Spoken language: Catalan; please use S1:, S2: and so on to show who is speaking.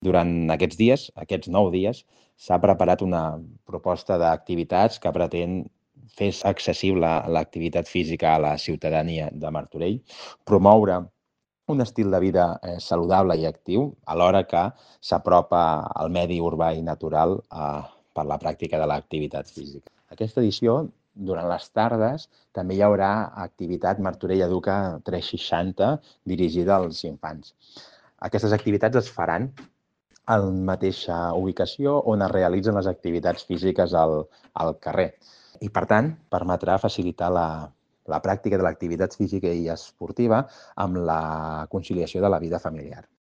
S1: Durant aquests dies, aquests 9 dies, s'ha preparat una proposta d'activitats que pretén fer accessible l'activitat física a la ciutadania de Martorell, promoure un estil de vida saludable i actiu, alhora que s'apropa al medi urbà i natural per la pràctica de l'activitat física. Aquesta edició, durant les tardes, també hi haurà activitat Martorell Educa 360 dirigida als infants. Aquestes activitats es faran a la mateixa ubicació on es realitzen les activitats físiques al carrer. I, per tant, permetrà facilitar la pràctica de l'activitat física i esportiva amb la conciliació de la vida familiar.